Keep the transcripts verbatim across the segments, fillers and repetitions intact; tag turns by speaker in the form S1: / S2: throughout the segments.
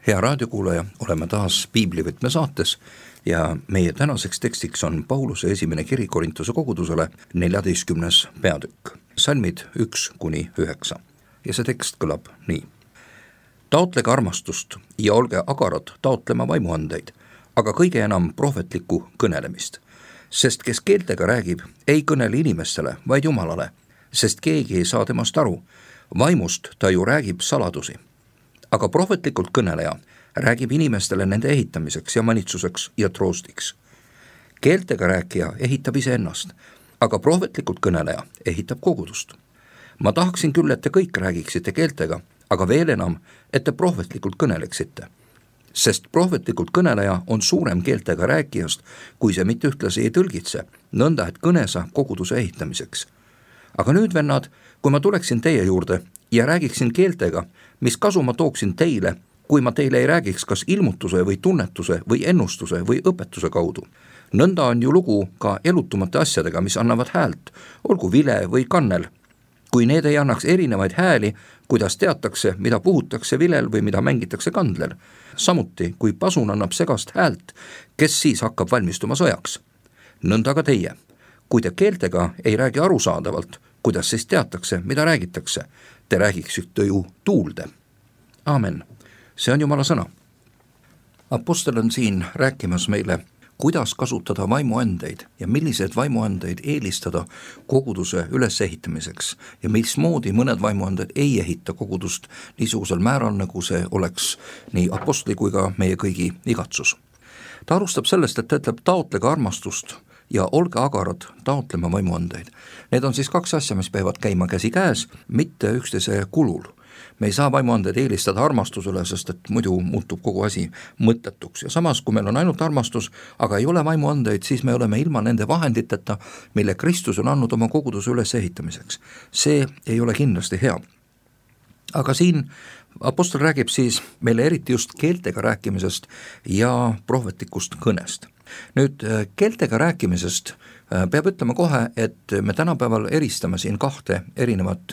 S1: Hea raadiokuulaja, oleme taas Piiblivõtme saates ja meie tänaseks tekstiks on Pauluse esimene kiri Korintuse kogudusele, neljateistkümnes peatükk, salmid üks kuni üheksa. Ja see tekst kõlab nii. Taotlege armastust ja olge agarad taotlema vaimuandeid, aga kõige enam prohvetlikku kõnelemist. Sest kes keeltega räägib, ei kõnele inimestele, vaid Jumalale, sest keegi ei saa temast aru. Vaimust ta ju räägib saladusi. Aga prohvetlikult kõneleja räägib inimestele nende ehitamiseks ja manitsuseks ja troostiks. Keeltega rääkija ehitab iseennast, aga prohvetlikult kõneleja ehitab kogudust. Ma tahaksin küll, et te kõik räägiksite keeltega, aga veel enam, et te prohvetlikult kõneleksite. Sest prohvetlikult kõneleja on suurem keeltega rääkijast, kui see mitte ühtlasi ei tõlgitse, nõnda et kõne saab koguduse ehitamiseks. Aga nüüd, vennad, kui ma tuleksin teie juurde ja räägiksin keeltega, mis kasu ma tooksin teile, kui ma teile ei räägiks kas ilmutuse või tunnetuse või ennustuse või õpetuse kaudu. Nõnda on ju lugu ka elutumate asjadega, mis annavad häält, olgu vile või kannel. Kui need ei annaks erinevaid hääli, kuidas teatakse, mida puhutakse vilel või mida mängitakse kandlel. Samuti, kui pasun annab segast häält, kes siis hakkab valmistuma sõjaks. Nõnda ka teie. Kui te keeltega ei räägi arusaadavalt, kuidas siis teatakse, mida räägitakse, te räägiksite ju tuulde. Aamen. See on Jumala sõna. Apostel on siin rääkimas meile, kuidas kasutada vaimuandeid ja milliseid vaimuandeid eelistada koguduse ülesehitamiseks ja mismoodi mõned vaimuanded ei ehita kogudust niisugusel määral, nagu see oleks nii apostli kui ka meie kõigi igatsus. Ta alustab sellest, et ta ütleb taotlege armastust ja olge agarad taotlema vaimuandeid. Need on siis kaks asja, mis peavad käima käsi käes, mitte üksteise kulul. Me ei saa vaimuandeid eelistada armastusele, sest et muidu muutub kogu asi mõttetuks. Ja samas, kui meil on ainult armastus, aga ei ole vaimuandeid, siis me oleme ilma nende vahenditeta, mille Kristus on andnud oma koguduse üles ehitamiseks. See ei ole kindlasti hea. Aga siin apostel räägib siis meile eriti just keeltega rääkimisest ja prohvetlikust kõnest. Nüüd keeltega rääkimisest peab ütlema kohe, et me tänapäeval eristame siin kahte erinevat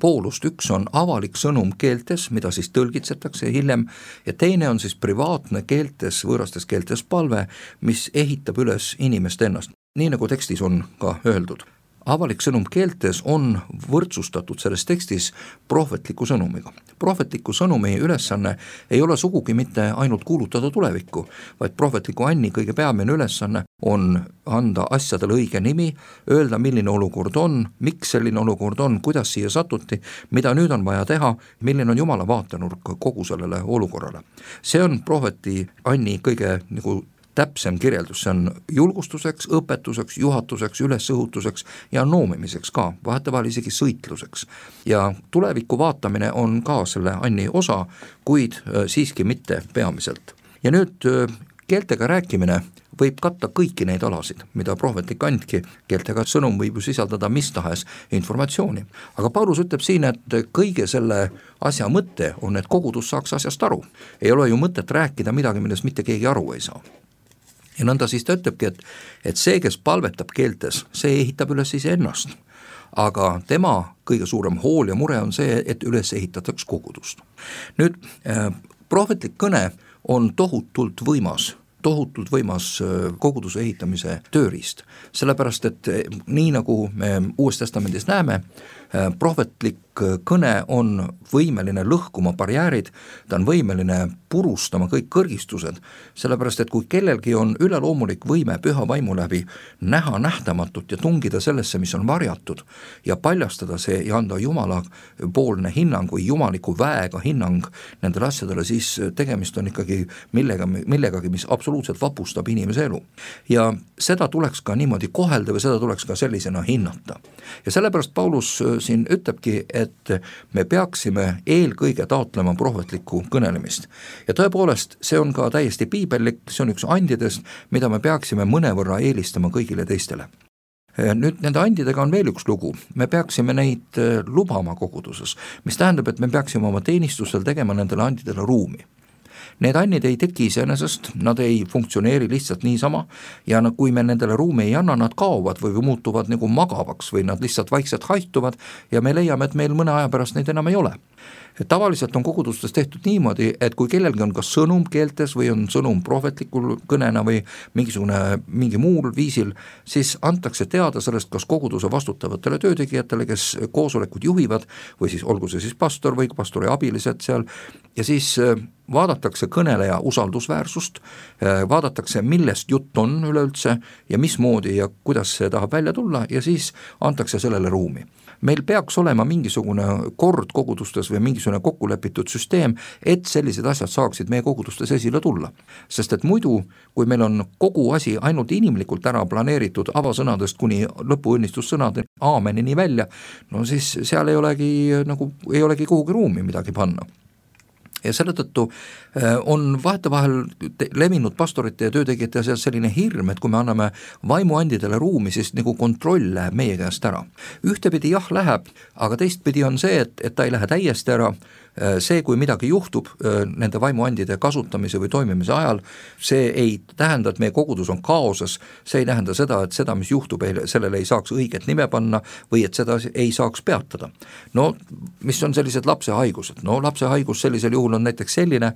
S1: poolust. Üks on avalik sõnum keeltes, mida siis tõlgitsetakse hiljem, ja teine on siis privaatne keeltes, võõrastes keeltes palve, mis ehitab üles inimest ennast, nii nagu tekstis on ka öeldud. Avalik sõnum keeltes on võrdsustatud selles tekstis prohvetliku sõnumiga. Prohvetliku sõnumi ülesanne ei ole sugugi mitte ainult kuulutada tulevikku, vaid prohvetliku anni kõige peamine ülesanne on anda asjadele õige nimi, öelda, milline olukord on, miks selline olukord on, kuidas siia satuti, mida nüüd on vaja teha, milline on Jumala vaatenurk kogu sellele olukorrale. See on prohveti anni kõige nagu täpsem kirjeldus, see on julgustuseks, õpetuseks, juhatuseks, ülesõhutuseks ja noomimiseks ka, vahetevahel isegi sõitluseks. Ja tuleviku vaatamine on ka selle anni osa, kuid siiski mitte peamiselt. Ja nüüd keeltega rääkimine võib katta kõiki neid alasid, mida prohvetlik andki, keeltega sõnum võib ju sisaldada mis tahes informatsiooni. Aga Paulus ütleb siin, et kõige selle asja mõte on, et kogudus saaks asjast aru. Ei ole ju mõtet rääkida midagi, millest mitte keegi aru ei saa. Ja nõnda siis ta ütlebki, et, et see, kes palvetab keeltes, see ehitab üles ise ennast. Aga tema kõige suurem hool ja mure on see, et üles ehitataks kogudust. Nüüd, äh, prohvetlik kõne on tohutult võimas, tohutult võimas koguduse ehitamise tööriist. Sellepärast, et nii nagu me Uues Testamendis näeme, prohvetlik kõne on võimeline lõhkuma barjäärid, ta on võimeline purustama kõik kõrgistused, sellepärast et kui kellelgi on üleloomulik võime püha vaimu läbi näha nähtamatut ja tungida sellesse, mis on varjatud ja paljastada see ja anda Jumala poolne hinnang või jumaliku väega hinnang nendele asjadele, siis tegemist on ikkagi millega, millegagi, mis absoluutselt vapustab inimese elu. Ja seda tuleks ka niimoodi kohelda või seda tuleks ka sellisena hinnata. Ja sellepärast Paulus siin ütlebki, et me peaksime eelkõige taotlema prohvetlikku kõnelemist. Ja tõepoolest, see on ka täiesti piibellik, see on üks andidest, mida me peaksime mõnevõrra eelistama kõigile teistele. Nüüd nende andidega on veel üks lugu, me peaksime neid lubama koguduses, mis tähendab, et me peaksime oma teenistusel tegema nendele andidele ruumi. Need annid ei teki iseenesest, nad ei funktsioneeri lihtsalt niisama ja kui me nendele ruumi ei anna, nad kaovad või muutuvad nagu magavaks või nad lihtsalt vaikselt haihtuvad ja me leiame, et meil mõne aja pärast neid enam ei ole. Et tavaliselt on kogudustes tehtud niimoodi, et kui kellelgi on kas sõnum keeltes või on sõnum prohvetlikul kõnena või mingisugune, mingi muul viisil, siis antakse teada sellest kas koguduse vastutavatele töötegijatele, kes koosolekud juhivad või siis olgu see siis pastor või pastori abilised seal ja siis vaadatakse kõneleja usaldusväärsust, vaadatakse millest jutt on üleüldse ja mismoodi ja kuidas see tahab välja tulla ja siis antakse sellele ruumi. Meil peaks olema mingisugune kord kogudustes või mingisugune kokkulepitud süsteem, et sellised asjad saaksid meie kogudustes esile tulla. Sest et muidu, kui meil on kogu asi ainult inimlikult ära planeeritud avasõnadest kuni lõpuõnnistussõnade aamenini välja, no siis seal ei olegi, nagu, ei olegi kuhugi ruumi midagi panna. Ja selle tõttu on vahetevahel levinud pastorite ja töötegijate seas selline hirm, et kui me anname vaimuandidele ruumi, siis nagu kontroll läheb meie käest ära. Ühtepidi jah läheb, aga teistpidi on see, et, et ta ei lähe täiesti ära. See, kui midagi juhtub nende vaimuandide kasutamise või toimimise ajal, see ei tähenda, et meie kogudus on kaoses, see ei tähenda seda, et seda, mis juhtub, sellele ei saaks õiget nime panna või et seda ei saaks peatada. No, mis on sellised lapse haigused? No, lapse haigus sellisel juhul on näiteks selline,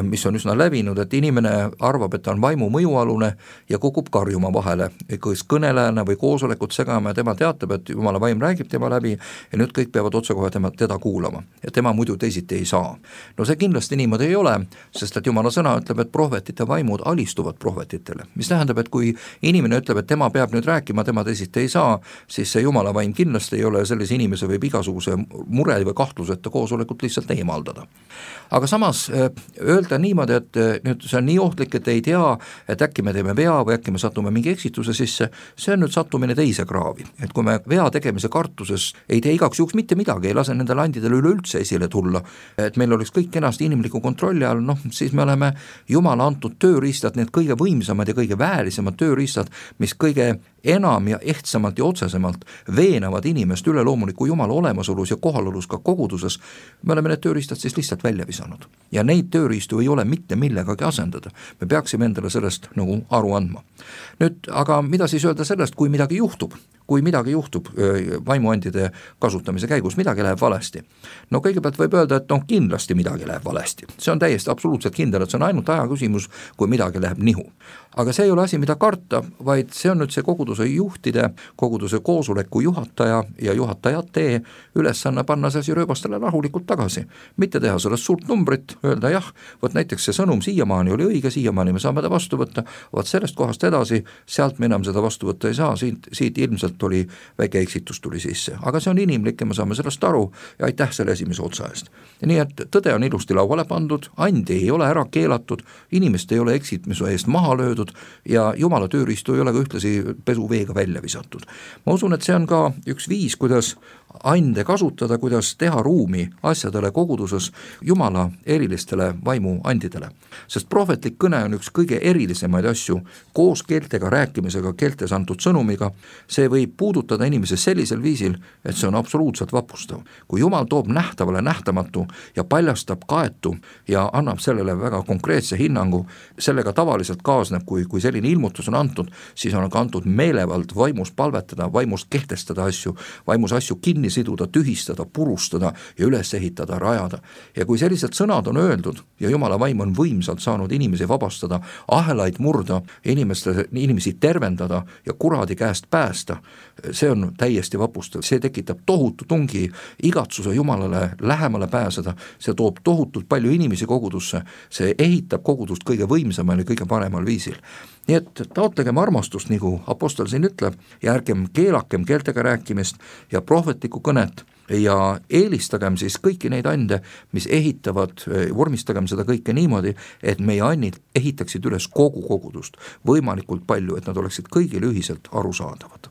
S1: mis on üsna levinud, et inimene arvab, et ta on vaimu mõjualune ja kukub karjuma vahele, kas kõnelejana või koosolekut segama ja tema teatab, et Jumala vaim räägib tema läbi ja nüüd kõik peavad otsekohe tema, teda kuulama ja tema muidu teisiti ei saa. No see kindlasti niimoodi ei ole, sest et Jumala sõna ütleb, et prohvetite vaimud alistuvad prohvetitele, mis tähendab, et kui inimene ütleb, et tema peab nüüd rääkima, tema teisiti ei saa, siis see Jumala vaim kindlasti ei ole, sellise inimese võib igasuguse mure või kahtluseta koosolekut lihtsalt eemaldada. Aga samas öelda niimoodi, et nüüd see on nii ohtlik, et ei tea, et äkki me teeme vea või äkki me satume mingi eksituse sisse, see on nüüd sattumine teise kraavi. Et kui me vea tegemise kartuses ei tee igaks juhuks mitte midagi, ei lase nendele andidele üleüldse esile tulla, et meil oleks kõik kenasti inimliku kontrolli all, noh, siis me oleme Jumala antud tööriistad, need kõige võimsamad ja kõige väärisemad tööriistad, mis kõige enam ja ehtsamalt ja otsesemalt veenavad inimest üleloomuliku Jumala olemasolus ja kohalolus ka koguduses, me oleme need tööriistad siis lihtsalt välja visanud. Ja neid tööriistu ei ole mitte millegagi asendada. Me peaksime endale sellest nagu aru andma. Nüüd, aga mida siis öelda sellest, kui midagi juhtub? Kui midagi juhtub vaimuandide kasutamise käigus, midagi läheb valesti. No kõigepealt võib öelda, et noh, kindlasti midagi läheb valesti. See on täiesti absoluutselt kindel, et see on ainult aja küsimus, kui midagi läheb nihu. Aga see ei ole asi, mida karta, vaid see on nüüd see koguduse juhtide, koguduse koosoleku juhataja ja juhatajate ülesanne panna see asi rööbastele rahulikult tagasi. Mitte teha sellest suurt numbrit, öelda jah, võt näiteks see sõnum siiamaani oli õige, siiamaani me saame ta vastu võtta, võt sellest kohast edasi, sealt me enam seda vastu võtta ei saa, siit, siit ilmselt oli väike eksitus tuli sisse, aga see on inimlik ja me saame sellest aru ja aitäh selle esimese otsa eest. Nii et tõde on ilusti lauale pandud, andi ei ole ära keelatud, inimest ei ole eksitmise eest maha löödud ja Jumala tööriistu ei ole ka ühtlasi pesuveega välja visatud. Ma usun, et see on ka üks viis, kuidas ande kasutada, kuidas teha ruumi asjadele koguduses Jumala erilistele vaimuandidele. Sest prohvetlik kõne on üks kõige erilisemaid asju koos keeltega rääkimisega, keeltes antud sõnumiga. See võib puudutada inimese sellisel viisil, et see on absoluutselt vapustav. Kui Jumal toob nähtavale nähtamatu ja paljastab kaetu ja annab sellele väga konkreetse hinnangu, sellega tavaliselt kaasneb, kui, kui selline ilmutus on antud, siis on ka antud meelevald vaimus palvetada, vaimus kehtestada asju, vaimus asju kinni siduda, tühistada, purustada ja üles ehitada, rajada. Ja kui sellised sõnad on öeldud ja Jumala vaim on võimsalt saanud inimesi vabastada, ahelaid murda, inimeste, inimesi tervendada ja kuradi käest päästa, see on täiesti vapustav. See tekitab tohutu tungi igatsuse Jumalale lähemale pääseda, see toob tohutult palju inimesi kogudusse, see ehitab kogudust kõige võimsamal ja kõige paremal viisil. Nii et taotlegem armastust, nagu apostel siin ütleb, ja ärgem keelakem keeltega rääkimist ja prohvetlikku kõnet ja eelistagem siis kõiki neid ande, mis ehitavad, vormistagem seda kõike niimoodi, et meie annid ehitaksid üles kogu kogudust võimalikult palju, et nad oleksid kõigile ühiselt arusaadavad.